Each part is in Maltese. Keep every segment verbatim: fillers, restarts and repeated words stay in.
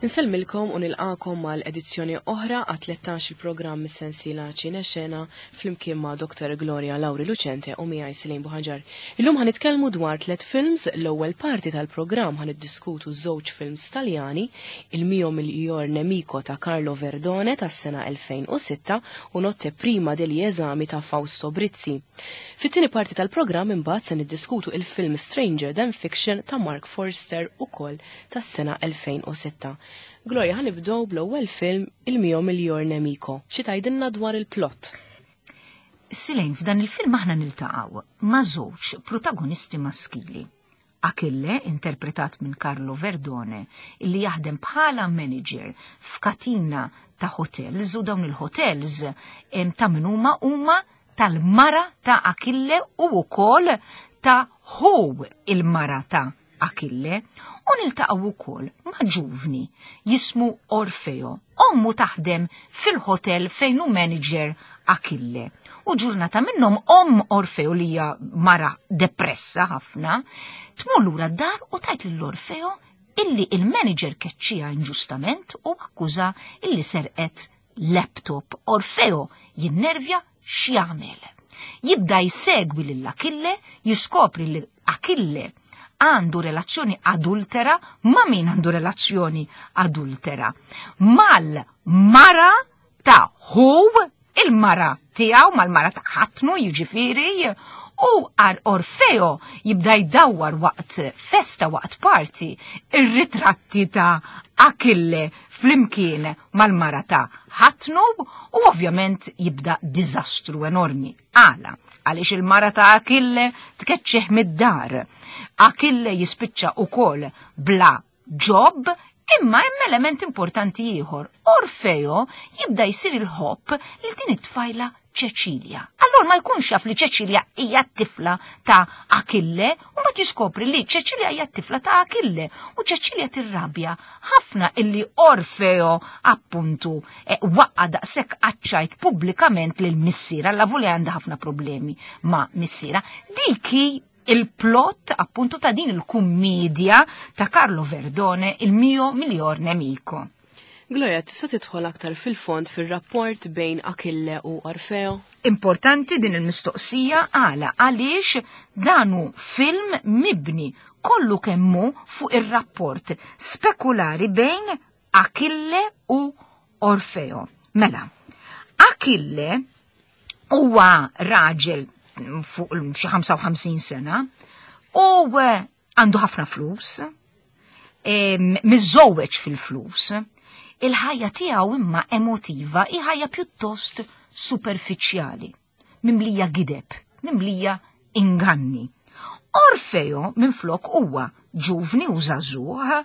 Insellmilkom u nilqakom mal edizzjoni oħra għat tlettax il-programm mis-sensiela Ċinexena flimkien ma' Doktor Gloria Lauri Lucente u miegħi Silejn Buħaġar. Illum ħanitkellmu dwar tliet films. L-ewwel parti tal-programm ħaniddiskutu żewġ films Taljani, Il mio miglior nemico ta' Carlo Verdone tas-sena elfejn u sitta u Notte prima degli esami ta' Fausto Brizzi. Fit-tieni parti tal-programm imbagħad se niddiskutu il-film Stranger Than Fiction ta' Mark Forster, ukoll tas-sena elfejn u sitta. Gloria, ħanibdew bl-ewwel film, Il mio miglior nemico. Xi tgħidilna dwar il-plot? Silejn, f'dan il-film aħna niltaqgħu ma' żewġ protagonisti maskili. Achille, interpretat minn Carlo Verdone, illi jaħdem bħala manager f'katina ta' hotels, u dawn il-hotels em, ta' min huma? Huma tal-mara ta' Achille u wkoll ta' ħu il-mara ta' Achille, u niltaqgħu wkoll ma' ġuvni jismu Orfeo. Ommu taħdem fil-hotel fejn hu manager Achille. U ġurnata minnhom omm Orfeo, li hija mara depressa ħafna, tmur lura d-dar u tgħid lil Orfeo illi il-manager keċċija inġustament u akkuża illi serqet laptop. Orfeo jinnervja. X'jagħmel? Jibda jsegwi lil Achille, jiskopri li Achille għandu relazzjoni adultera. Ma' min għandu relazzjoni adultera? Mal-mara ta' ħu il-mara tiegħu, mal-mara ta' ħatnu jiġifieri, u għar Orfeo jibda jdawwar waqt festa, waqt party, ir-ritratti ta' Achille flimkien mal-mara ta' ħatnu u ovvjament jibda diżastru enormi. Għala? Għaliex il-mara ta' Achille tkeċċeħ mid-dar. Achille jispiċċa ukoll bla job, imma hemm element importanti ieħor. Orfeo jibda jsir il-ħobb lil din it-tfajla Ċeċilja. Allora ma jkunx jaf li Ċeċilja hija t-tifla ta' Achille u ma tiskopri li Ċeċilja hija t-tifla ta' Achille u Ċeċilja tirrabja ħafna illi Orfeo appuntu eh, waqqa daqshekk għaċ-ċajt pubblikament lil missiera, la voli għandha ħafna problemi ma' missiera. Diki il-plot appuntu ta' din il-kummedja ta' Carlo Verdone, Il mio miglior nemico. Gloria, tista' tidħol aktar fil-fond fil-rapport bejn Achille u Orfeo? Importanti din il-mistoqsija. Għala? Għaliex dan hu film mibni kollu kemmu fuq ir-rapport spekulari bejn Achille u Orfeo. Mela, Achille huwa raġel fuq xi ħamsa u ħamsin sena u eh, għandu ħafna flus, em, miżżewweġ fil-flus, il-ħajja tiegħu imma emotiva hi ħajja pjuttost superfiċjali, mimlija gideb, mimlija inganni. Orfeo minflok huwa ġuvni u żagħżugħ,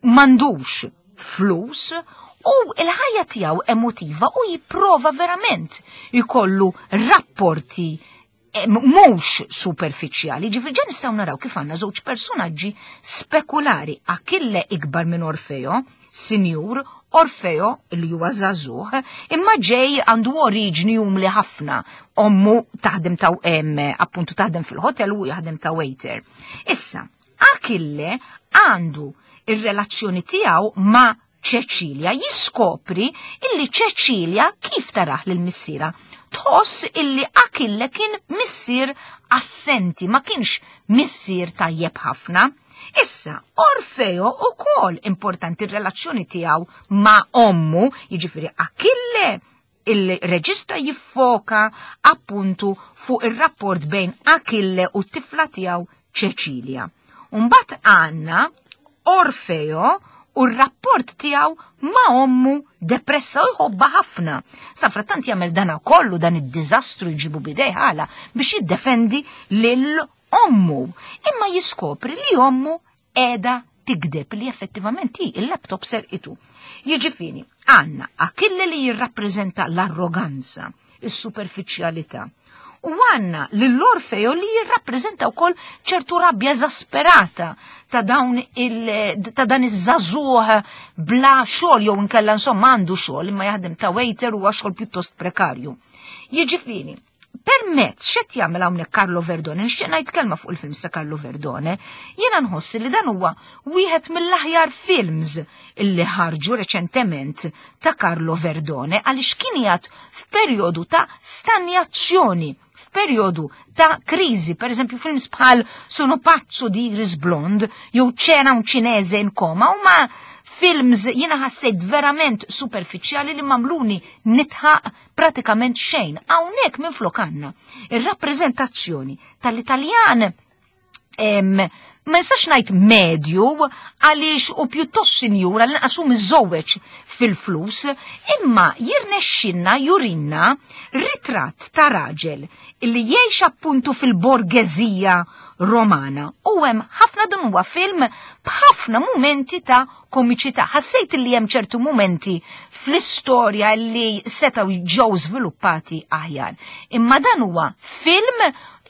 m'għandux flus u il-ħajja tiegħu emotiva u jipprova verament jkollu rapporti eh, mhux superfiċjali. Ġifieri ġa nistgħu naraw kif għandna żewġ personaġġi spekulari. Achille ikbar minn Orfeo, sinjur, Orfeo li huwa żagħżugħ, imma ġej għandu oriġni umli ħafna. Ommu taħdem ta' em, appuntu taħdem fil-hotel u jaħdem ta' waiter. Issa, Achille għandu ir-relazzjoni tiegħu ma' Ċeċilja, jiskopri illi Ċeċilja kif taraħ lil missiera tħoss illi Achille kien missier assenti, ma kienx missier tajjeb ħafna. Issa, Orfeo ukoll importanti r-relazzjoni tiegħu ma' ommu, jiġifieri Achille, il-reġista jiffoka appuntu fuq ir-rapport bejn Achille u t-tifla tiegħu Ċeċilja. Mbagħad għandna Orfeo u r-rapport tiegħu ma' ommu depressa u jħobba ħafna. Safrattant jagħmel dana kollu, dan id-diżastru jġibu bidej. Għala? Biex jiddefendi lil ommu. Imma jiskopri li ommu qiegħda tigdeb, li effettivament hi il-laptop serqitu. Jiġifieri, għandna Achille li jirrappreżenta l-arroganza, is-superfiċjalità. U għandna l-Orfeo li jirrappreżenta wkoll ċertu rabja eżasperata ta' dawn il ta' dan iż-żagħżugħ bla xogħol, jew inkella insomma għandu xogħol imma jaħdem ta' waiter u xogħol pjuttost prekarju. Jiġifieri, Permezz x'qed jagħmel hawnhekk Carlo Verdone, nixtieq ngħid kelma fuq il-film sa Carlo Verdone, jiena nħoss li dan huwa wieħed mill-aħjar films illi ħarġu reċentement ta' Carlo Verdone għaliex kien qiegħed f'perjodu ta' stanjazzjoni, f'perjodu ta' kriżi, per eżempju films bħal Sono pazzo di Iris Blond jew C'era un cinese in coma huma films jiena ħassejt verament superfiċjali li mamluni nitħaq pratikament xejn. Hawnhekk minflok għandna ir-rappreżentazzjoni tal-Italjan em, ma nistax ngħid medju għaliex u pjuttost sinjura li nqasu miżżewweġ fil-flus, imma jirnexxinna jurinna ritratt ta' raġel illi jgħix appuntu fil-borgeżija Romana. U hemm ħafna, dan huwa film b'ħafna mumenti ta' komiċità. Ħassejt li hemm ċertu mumenti fl-istorja li setgħu ġew żviluppati aħjar. Imma dan huwa film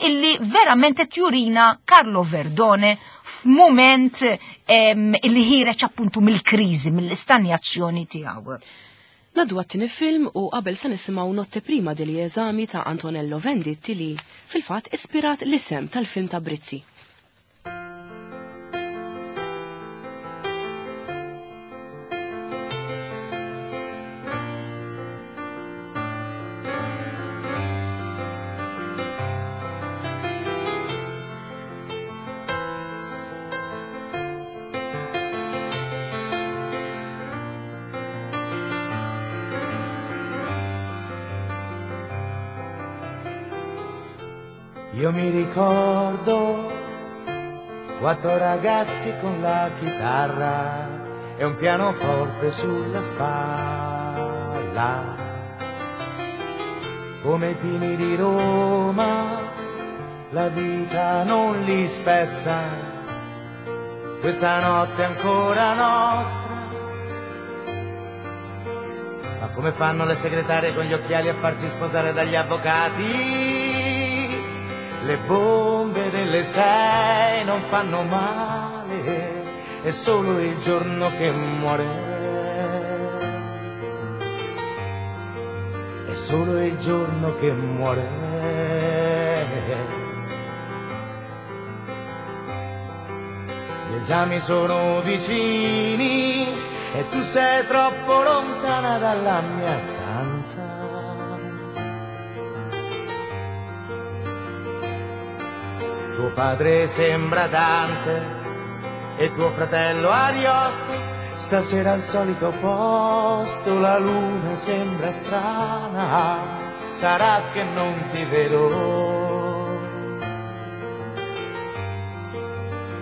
illi verament qed jurina Carlo Verdone f'mument em, illi ħireġ appuntu mill-kriżi, mill-istanjazzjoni tiegħu. Ngħaddu għat-tieni film u qabel se nisimgħu Notte prima degli esami ta' Antonello Venditti li fil-fatt ispirat l-isem tal-film ta' Brizzi. Io mi ricordo quattro ragazzi con la chitarra e un pianoforte sulla spalla. Come i pini di Roma, la vita non li spezza, questa notte è ancora nostra. Ma come fanno le segretarie con gli occhiali a farsi sposare dagli avvocati? Le bombe delle sei non fanno male, è solo il giorno che muore. È solo il giorno che muore. Gli esami sono vicini e tu sei troppo lontana dalla mia stanza. Tuo padre sembra Dante e tuo fratello Ariosto. Stasera al solito posto la luna sembra strana, sarà che non ti vedo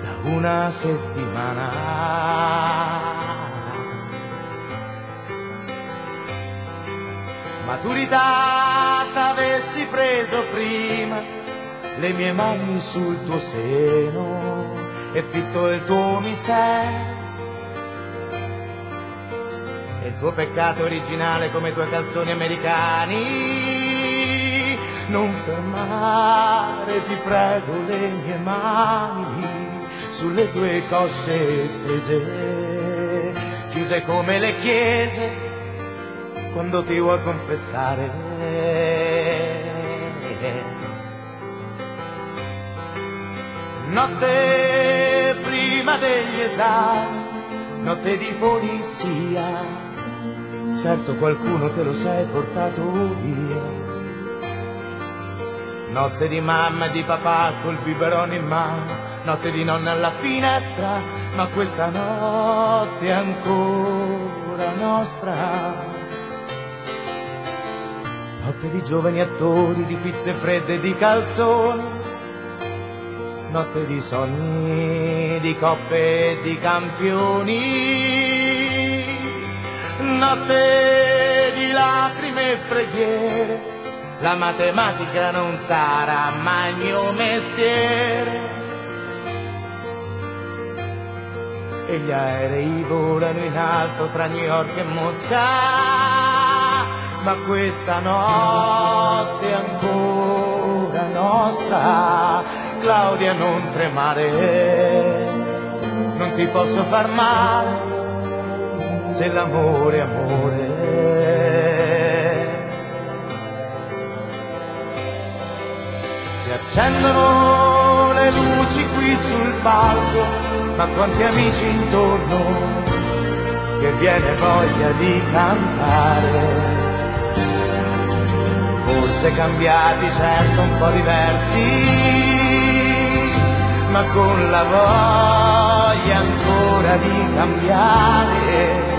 da una settimana. Maturità t'avessi preso prima, le mie mani sul tuo seno e fitto il tuo mistero e il tuo peccato originale come i tuoi calzoni americani. Non fermare, ti prego, le mie mani sulle tue cosce tese, chiuse come le chiese quando ti vuoi confessare. Notte prima degli esami, notte di polizia, certo qualcuno te lo sei portato via. Notte di mamma e di papà col biberon in mano, notte di nonna alla finestra, ma questa notte è ancora nostra. Notte di giovani attori, di pizze fredde e di calzoni, notte di sogni, di coppe e di campioni, notte di lacrime e preghiere, la matematica non sarà mai il mio mestiere. E gli aerei volano in alto tra New York e Mosca, ma questa notte è ancora nostra. Claudia, non tremare, non ti posso far male, se l'amore è amore. Accendono le luci qui sul palco, ma quanti amici intorno che viene voglia di cantare. Forse cambiati, certo un po' diversi, ma con la voglia ancora di cambiare.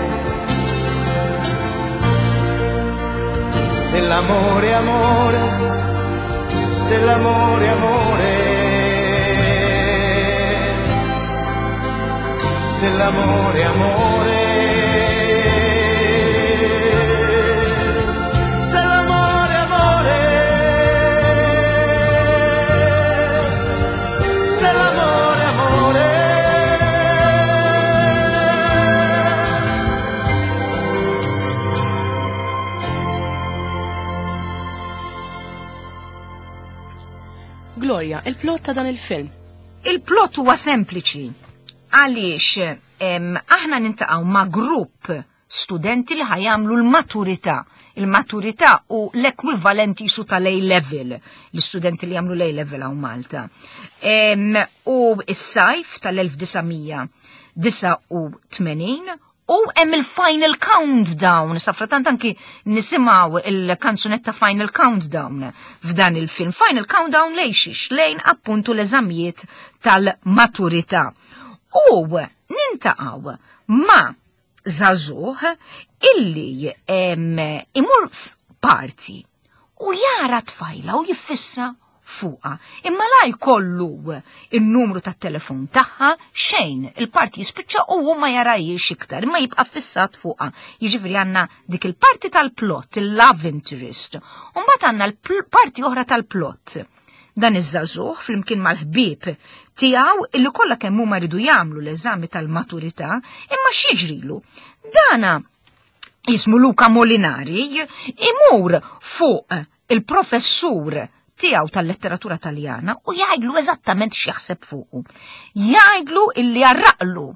Se l'amore è amore, se l'amore è amore, se l'amore è amore, se l'amore è amore, se l'amore è amore. Gloria, il-plot ta' dan il-film? Il-plot huwa sempliċi. Għaliex aħna nintaqgħu ma' grupp studenti li ħajamlu l-maturità. Il-maturità u l-ekwivalenti su tal-A-level, l-istudenti li jagħmlu l-A-level hawn Malta. Em, u s-sajf tal-elf disa' disa' u tmenin u hemm il-Final Countdown. Safratant anki nisimgħu il-kanzunetta Final Countdown f'dan il-film. Final Countdown lejn xiex? Lejn appuntu l-eżamijiet tal-maturità. U nintaqgħu ma' żagħżugħ illi, em, imur f'party u jara tfajla u jiffissa fuqa. Imma la jkollu il-numru tat-telefon tagħha xejn, il-parti jispiċċa u hu ma jarajiex iktar, imma jibqa' fissat fuqa. Jiġifieri għandna dik il-parti tal-plot, il-love interest, u mbagħad għandna l-parti oħra tal-plot. Dan iż-żagħżugħ flimkien mal-ħbieb tiegħu illi kollha kemm huma jridu jagħmlu l-eżami tal-maturità, imma x'jiġrilu? Dana jismu Luca Molinari imur fuq il-professur tiegħu tal-letteratura taljana u jgħidlu eżattament x'jaħseb fuqu. Jgħidlu illi jarraqlu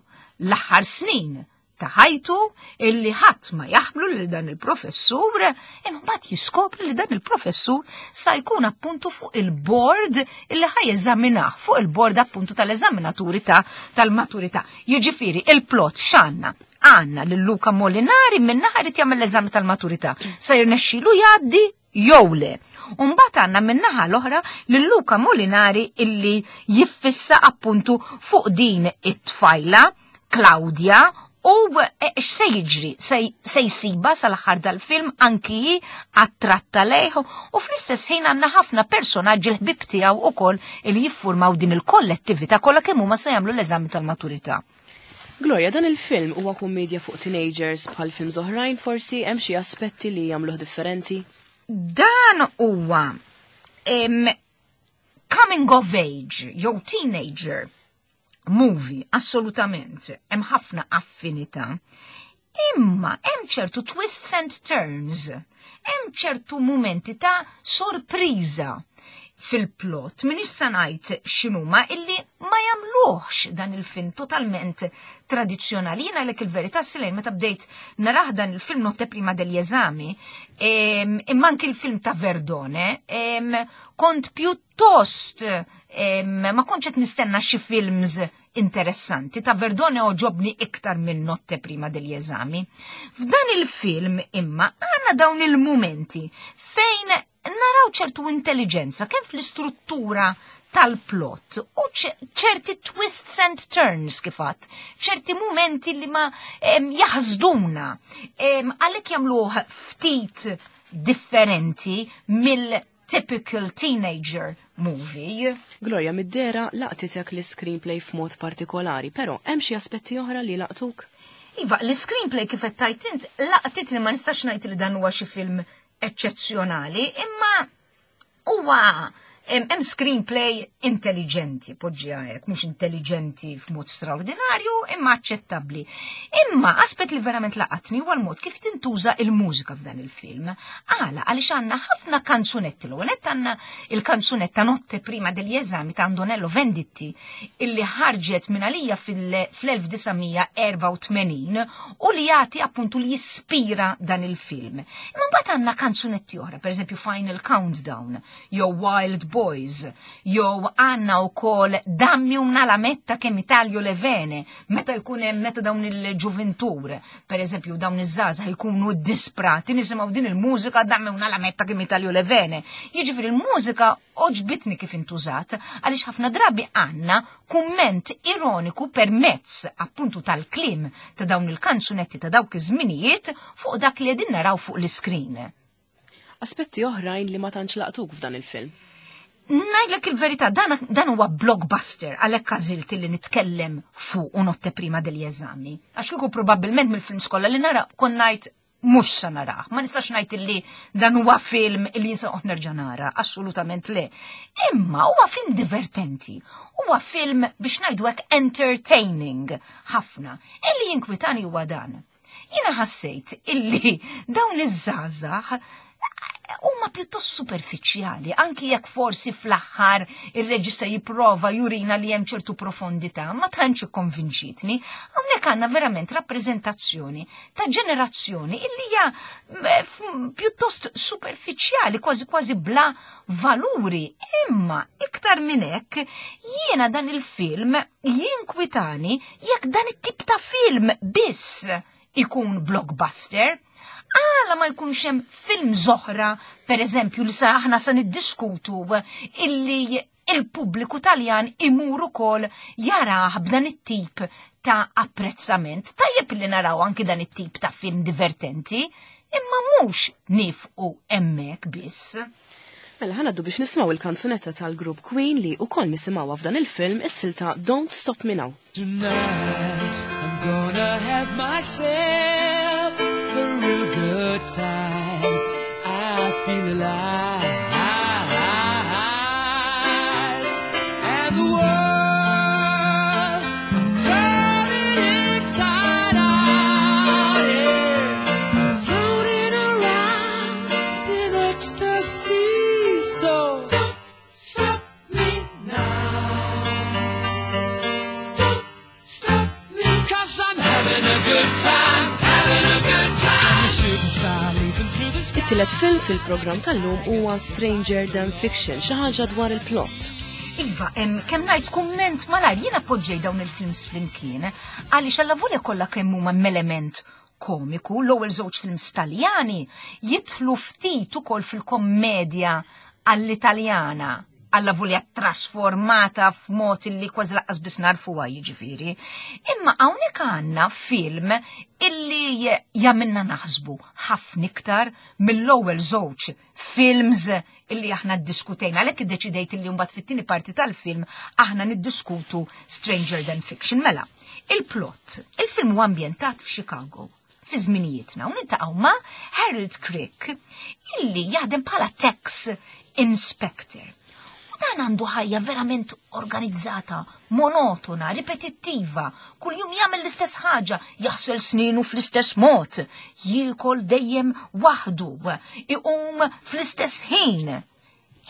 l-aħħar snin ta' ħajtu illi ħadd ma jaħmlu lil dan il-professur, imma mbagħad jiskopri li dan il-professur sa jkun appuntu fuq il-board illi ħaj jeżaminah, fuq il-board appuntu tal-eżaminaturi ta' tal-maturità. Jiġifieri il-plot x'għandna? Għandna lil Luca Molinari minn naħa irid jagħmel l-eżami tal-maturità, sa jirnexxielu jgħaddi jew le. U mbagħad għandna min-naħa l-oħra lil Luca Molinari illi jiffissa appuntu fuq din it-tfajla Claudia u x'se jiġri? Se jsiba sal-aħħar dal-film anki hi attratta lejh u fl-istess ħin għandna ħafna personaġġi l-ħbieb tiegħu ukoll li jiffurmaw din il-kollettività kollha kemm huma se jagħmlu l-eżami tal-maturità. Gloria, dan il-film huwa kummedja fuq teenagers bħal films oħrajn, forsi hemm xi aspetti li jagħmluh differenti? Dan huwa, em, coming of age, jew teenager movie, assolutament, hemm ħafna affinità, imma hemm ċertu twists and turns, hemm ċertu mumenti ta' sorpriża fil-plot, min issa ngħid x'inhuma illi ma jagħmluhx dan il-film totalment tradizzjonali. Jiena għalhekk il-verità Silejn meta bdejt narah dan il-film Notte prima degli esami, em, imma anki il-film ta' Verdone, em, kont pjuttost, em, ma kontx qed nistenna xi films interessanti. Ta' Verdone oġobni iktar minn Notte prima degli esami. F'dan il-film imma għandna dawn il-mumenti fejn naraw ċertu intelligenza kemm fl-istruttura tal-plot u ċe-, ċerti twists and turns kifat, ċerti mumenti li ma, em, jaħsduna, em, għalhekk jagħmluh ftit differenti mill-typical teenager movie. Gloria, mid-dera laqtitek l-screenplay f'mod partikolari, però hemm xi aspetti oħra li laqtuk? Iva, l-screenplay kif qed tgħid int laqtitni, ma nistax ngħid li dan huwa xi film eċċezzjonali, imma huwa hemm, hemm screenplay intelligenti, poġġiha hekk, mhux intelligenti f'mod straordinarju, imma aċċettabbli. Imma aspett li verament laqatni huwa l-mod kif tintuża il-mużika f'dan il-film. Għala, għaliex għandna ħafna kanzunetti, l-ewwel nett għandna il-kanzunetta Notte prima degli esami ta' Antonello Venditti, illi ħarġet minn għalija fil-, fl-elf disa' mija erba' u tmenin u li jagħti appuntu li jispira dan il-film. Imma mbagħad Mbagħad għandna kanzunetti oħra, pereżempju Final Countdown, jew Wild Boys, jew għandna wkoll Dammi una lametta che mi taglio le vene, meta jkun hemm meta dawn il-ġuventur, pereżempju dawn iż-żgħażagħ jkunu disprati, nisimgħu din il-mużika Dammi una lametta che mi taglio le vene. Jiġifieri il-mużika għoġbitni kif intużat, għaliex ħafna drabi għandna kumment ironiku permezz appuntu tal-kliem ta' dawn il-kanzunetti ta' dawk iż-żminijiet fuq dak li qegħdin naraw fuq l-iskrin. Aspetti oħrajn li ma tantx laqtuk f'dan il-film. Ngħidlek il-verità, dan, dan huwa blockbuster għalhekk għażilt li nitkellem fuq u Notte prima degli esami. Għax kieku probabbilment mill-films kollha li nara kont ngħid mhux sa narah. Ma nistax ngħid illi dan huwa film illi jinsa nerġa' nara, assolutament le. Imma huwa film divertenti, huwa film biex ngħidu hekk entertaining ħafna. Illi jinkwitani huwa dan. Jiena ħassejt illi dawn iż-żgħażagħ huma pjuttost superfiċjali, anki jekk forsi fl-aħħar ir-reġista jipprova jurina li hemm ċertu profondità, ma tantx ikkonvinċitni. Hawnhekk għandna verament rappreżentazzjoni ta' ġenerazzjoni illi hija pjuttost superfiċjali, kważi kważi bla valuri. Imma iktar minn hekk jiena dan il-film jinkwitani jekk dan it-tip ta' film biss ikun blockbuster. Għala ma jkunx hemm film oħra, per eżempju, li sa aħna sa niddiskutu illi il-pubbliku Taljan imur ukoll jarah b'dan it-tip ta' apprezzament. Tajjeb li naraw anki dan it-tip ta' film divertenti, imma mhux nieqfu hemmhekk biss. Mela ħa ngħaddu biex nisimgħu il-kanzunetta tal-grupp Queen li wkoll nisimgħuha f'dan il-film, is-silta Don't Stop Me Now. Tonight I'm gonna have myself a real good time. I feel alive. And the world, I'm turning inside out. Yeah. I'm floating around in ecstasy. So don't stop me now. Don't stop me, 'cause I'm having a good time, having a good time. The shooting star leaping through the sky. It-tielet film fil-programm tal-lum huwa Stranger Than Fiction, xi ħaġa dwar il-plot. Iva, em, kemm ngħid kumment malajr, jiena poġġej dawn il-films flimkien, għaliex allavolja kollha kemm huma element komiku, l-ewwel żewġ films Taljani jidħlu ftit ukoll fil-kommedja għall-Italjana, allavolja trasformata f'mod illi kważi lanqas biss narfuha jiġifieri. Imma hawnhekk għandna film illi jagħmilna naħsbu ħafna iktar mill-ewwel żewġ films illi aħna ddiskutejna. Għalhekk iddeċidejt illi mbagħad fit-tieni parti tal-film aħna niddiskutu Stranger Than Fiction. Mela, il-plot, il-film huwa ambjentat f'Chicago fi żminijietna u niltaqgħu ma' Harold Crick illi jaħdem bħala tax inspector. U dan għandu ħajja verament organizzata, monotona, ripetittiva, kuljum jagħmel l-istess ħaġa, jaħsel sninu fl-istess mod, jiekol dejjem waħdu, iqum fl-istess ħin.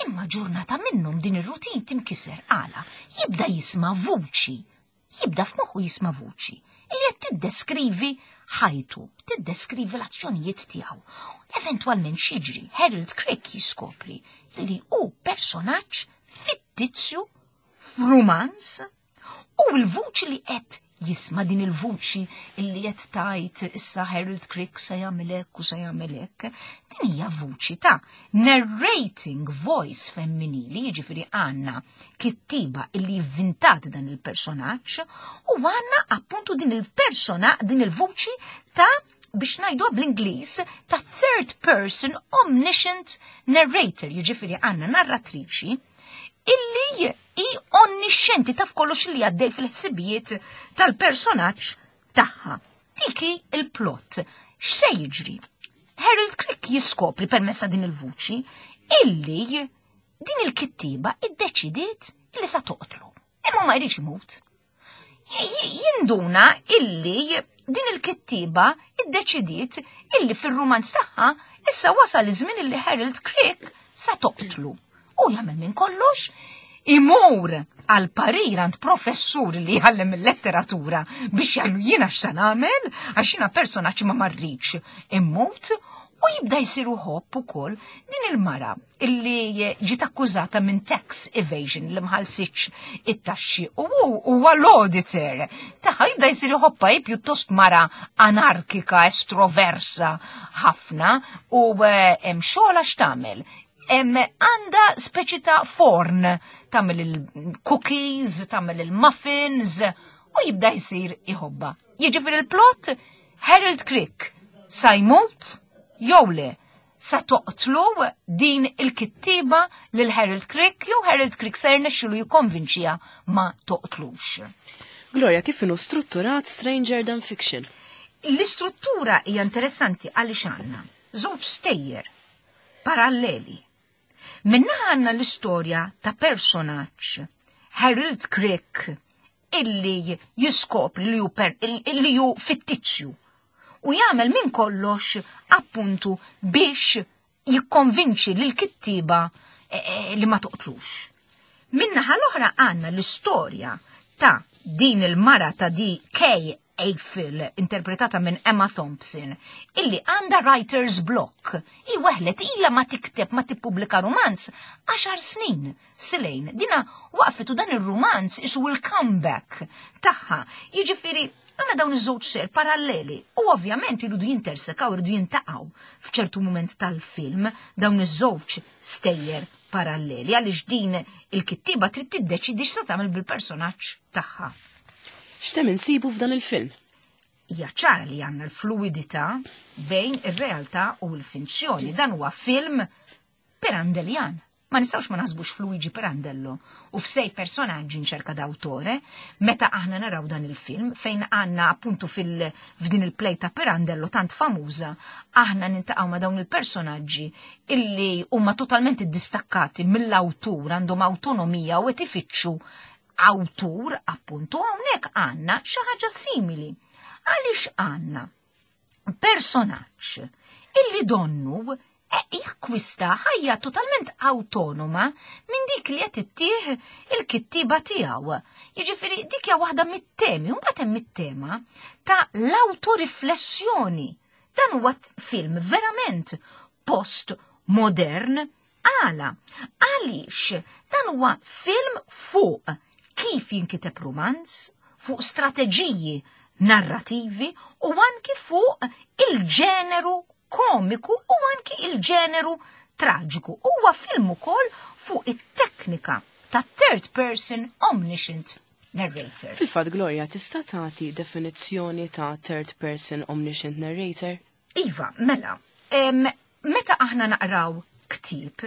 Imma ġurnata minnhom din ir-rutin tinkiser għala, jibda jisma' vuċi, jibda f'moħħu jisma' vuċi, illi qed tiddeskrivi ħajtu, tiddeskrivi l-azzjonijiet tiegħu. Eventwalment x'jiġri, Harold Crick jiskopri li hu personaġġ fittizju f'rumanz u l-vuċi li qed jisma' din il-vuċi illi qed tgħid issa Harold Crick se jagħmel hekk u se jagħmel hekk, din hija vuċi ta' narrating voice femminili, jiġifieri għandna kittiba illi vvintat dan il-personaġġ u għandna appuntu din il-persona, din il-vuċi ta' biex ngħidu bl-Ingliż ta' third person omniscient narrator, jiġifieri għandna narratriċi illi hi onniscienti, taf kollox li għaddej fil-ħsibijiet tal-personaġġ tagħha. Dik il-plot. X'se jiġri? Harold Crick jiskopri permezz ta' din il-vuċi illi din il-kittiba iddeċidiet illi sa toqtlu. Imma ma jridx imut. Jinduna illi din il-kittiba iddeċidiet illi fil-rumanz tagħha issa wasal iż-żmien illi Harold Crick sa toqtlu. U jagħmel minn kollox Imur għal parir għand professur li jgħallem il-letteratura biex jgħallu jiena x'sa nagħmel għax jiena personaġġ ma marriċ immut u jibda jsiru ħobb ukoll din il-mara illi ġiet akkużata minn tax evasion li ma ħallsitx it-taxxi u huwa l-auditor. Tagħha jibda jsir iħobbha hi pjuttost mara anarkika, estroversa ħafna u eh, hemm xogħol x'tagħmel. Hemm għandha speċi ta' forn tagħmel il-cookies, tagħmel il-muffins u jibda jsir iħobbha. Jiġifieri il-plot Harold Crick sa jmut jew le sa toqtlu din il-kittiba lil Harold Crick jew Harold Crick se jirnexxilu jikkonvinċiha ma toqtlux. Gloria, kif inhu strutturat Stranger Than Fiction? L-istruttura hija interessanti għaliex għandna żewġ stejjer paralleli. Minna għandna l-istorja ta' personaġġ Harold Crick illi jiskopri li hu per, illi hu fittizju u jagħmel minn kollox appuntu biex jikkonvinċi lil kittiba eh, eh, li ma toqtlux. Minnaħa l-oħra għandna l-istorja ta' din il-mara ta' di Kay Eiffel, interpretata minn Emma Thompson, illi għandha writer's block. I weħlet illa ma tikteb ma tippubblika romanz għaxar snin. Silejn, dina waqfet u dan il-romanz isu il-comeback tagħha. Jiġifieri għandna dawn iż-żewġ ser paralleli u ovvjament iridu jintersekaw, iridu jintaqgħu f'ċertu moment tal-film dawn iż-żewġ stejjer paralleli għaliex din il-kittiba trid tiddeċidi x'se tagħmel bil-personaġġ tagħha. X'tem insibu f'dan il-film? Hija ċara li għandna l-fluidità bejn ir-realtà u l-finzjoni. Dan huwa film Pirandellian. Ma nistgħux ma naħsbux f'Luigi Pirandello u f'sei personaggi in cerca d'autore, meta aħna naraw dan il-film fejn għandna appuntu fil f'din il-play ta' Pirandello tant famuża, aħna nintaqgħu ma' dawn il-personaġġi illi huma totalment distakkati mill-awtur, għandhom autonomija u qed ifittxu awtur appuntu hawnhekk għandna xi ħaġa simili. Għaliex għandna personaġġ illi donnu e jakkwista ħajja totalment autonoma minn dik li qed ittih il-kittiba tiegħu. Jiġifieri dik hija waħda mit-temi, u mbagħad hemm it-tema ta' l-autoriflessjoni. Dan huwa film verament post-modern għala. Għaliex dan huwa film fuq kif jinkiteb romanz, fuq strateġiji narrativi u anki fuq il-ġeneru komiku u anki il-ġeneru traġiku. Huwa film ukoll fuq it-teknika ta' third person omniscient narrator. Fil-fatt Gloria, tista' tagħti definizzjoni ta' third person omniscient narrator? Iva, mela, em, meta aħna naqraw ktieb,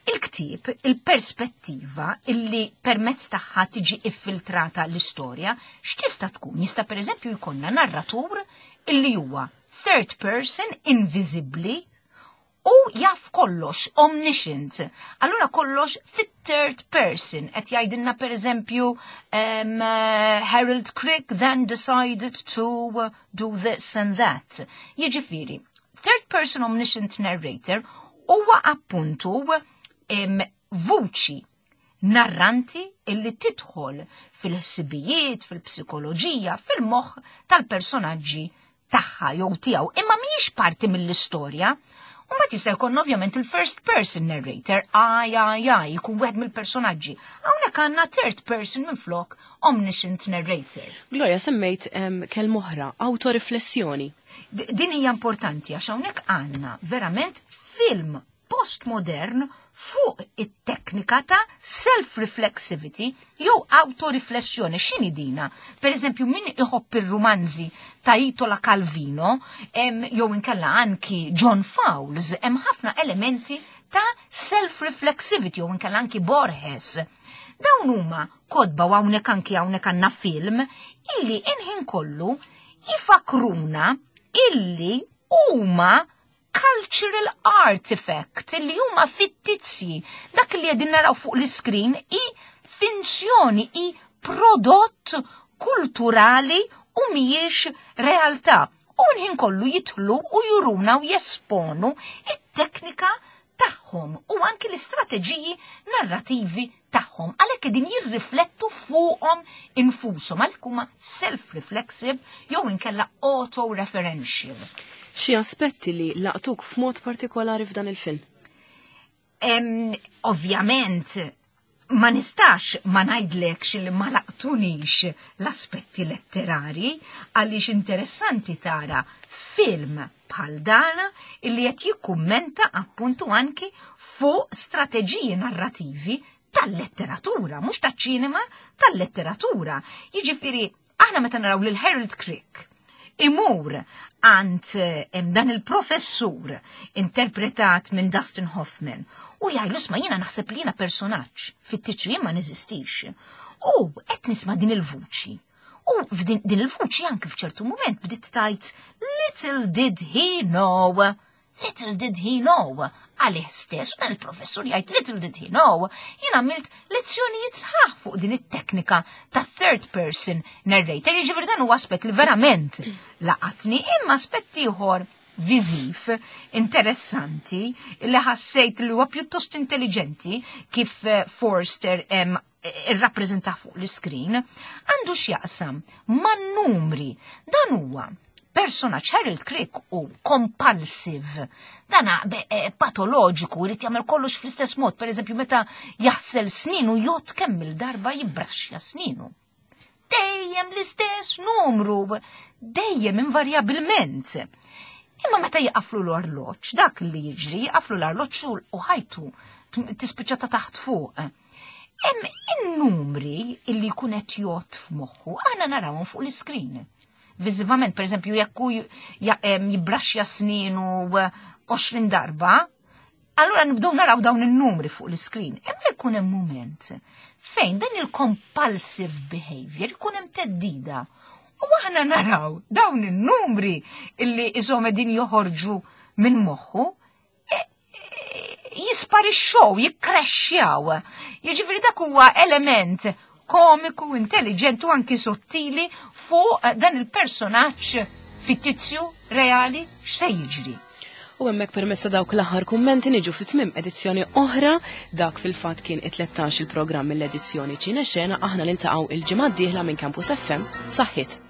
il-ktieb, il-perspettiva illi permezz tagħha tiġi iffiltrata l-istorja, x'tista' tkun? Jista' pereżempju jkollna narratur illi huwa third person invisibly u jaf kollox omniscient. Allura kollox fit-third person. Qed jgħidilna pereżempju um, uh, Harold Crick then decided to uh, do this and that. Jiġifieri, third person omniscient narrator huwa appuntu um, vuċi narranti illi tidħol fil-ħsibijiet, fil-psikoloġija, fil-moħħ tal-personaġġi tagħha jew tiegħu, imma mhijiex parti mill-istorja. U ma jista' jkun ovvjament il-first person narrator, aj, aj, aj, jkun wieħed mill-personaġġi. Hawnhekk għandna third person minflok omniscient narrator. Gloria, semmejt um, kelma oħra, autoriflessjoni. D- Din hija importanti għax hawnhekk għandna verament film postmodern fuq it-teknika ta' self-reflexivity jew autoriflessjoni. X'inhi dina? Per eżempju, min iħobb ir-rumanzi ta' Italo Calvino, em, jew inkella anki John Fowles, hemm ħafna elementi ta' self-reflexivity jew inkella anki Borges. Dawn huma kotba u hawnhekk anki hawnhekk għandna film illi inħin kollu jifakruna illi huma cultural artifact illi huma fittizji. Dak li qegħdin naraw fuq l-iskrin i finzjoni, i prodott kulturali u mhijiex realtà. U nħin kollu jitlu u juruna u jesponu it-teknika tagħhom u anki l-istrateġiji narrativi tagħhom, għalhekk qegħdin jirriflettu fuqhom infushom, għalhekk huma self-reflexive jew inkella auto-referential. Xi aspetti li laqtuk f'mod partikolari f'dan il-film? Ovvjament, ma nistax ma ngħidlekx li ma laqtunix l-aspetti letterari, għaliex interessanti tara film bħal dan illi qed jikkummenta appuntu anki fuq strateġiji narrativi tal-letteratura, mhux taċ-ċinema, tal-letteratura. Jiġifieri aħna meta naraw lil Harold Crick imur għand dan il-professur interpretat minn Dustin Hoffman u jgħidlu, "Isma', jiena naħseb li jiena personaġġ fittizju, jien ma neżistix. U qed nisma' din il-vuċi." U f'din din il-vuċi anke f'ċertu moment bdiet tgħid, "Little did he know. Little did he know," għalih stess, u dan il-professur jgħid, "Little did he know." Jien għamilt lezzjonijiet sħaħ fuq din it-teknika ta' third person narrator, jiġifieri dan huwa aspett li verament laqatni, imma aspett ieħor viżiv interessanti li ħassejt li huwa pjuttost intelligenti kif eh, Forster em, irrappreżenta fuq l-iskrin, għandu x'jaqsam man-numri. Dan huwa personaġġ, Harold Crick, u compulsive. Dan eh, patoloġiku, irid jagħmel kollox fl-istess mod, per eżempju meta jaħsel sninu jgħodd kemm il-darba jibbraxxja sninu. Dejjem l-istess numru, dejjem invarjabilment. Imma meta jaqaflu l-arloġġ, dak li jiġri, jaqaflu l-arloġġ u ħajtu tispiċċa ta' taħt fuq. Hemm in-numri illi jkun qed jgħodd f'moħħu, aħna narawhom fuq l-iskrin. Viżivament, per eżempju, jekk hu jibbraxxja sninu għoxrin darba, allura nibdew naraw dawn in-numri fuq l-iskrin. Imma jkun hemm moment fejn dan il-compulsive behavior jkun hemm theddida. U aħna naraw dawn in-numri illi iżom din joħorġu minn moħħu e, e, jisparixxow, jikkrexxjaw. Jiġifieri dak huwa element komiku, intelligent u anki sottili fuq dan il-personaġġ fittizju reali x'se jiġri. U hemmhekk, permezz ta' dawk l-aħħar kummenti, niġu fi tmiem edizzjoni oħra. Dak fil-fatt kien it-tlettax il-programm mill-edizzjoni Ċine Xena. Aħna niltaqgħu il-ġimgħa d-dieħla minn Campus F M. Saħħit.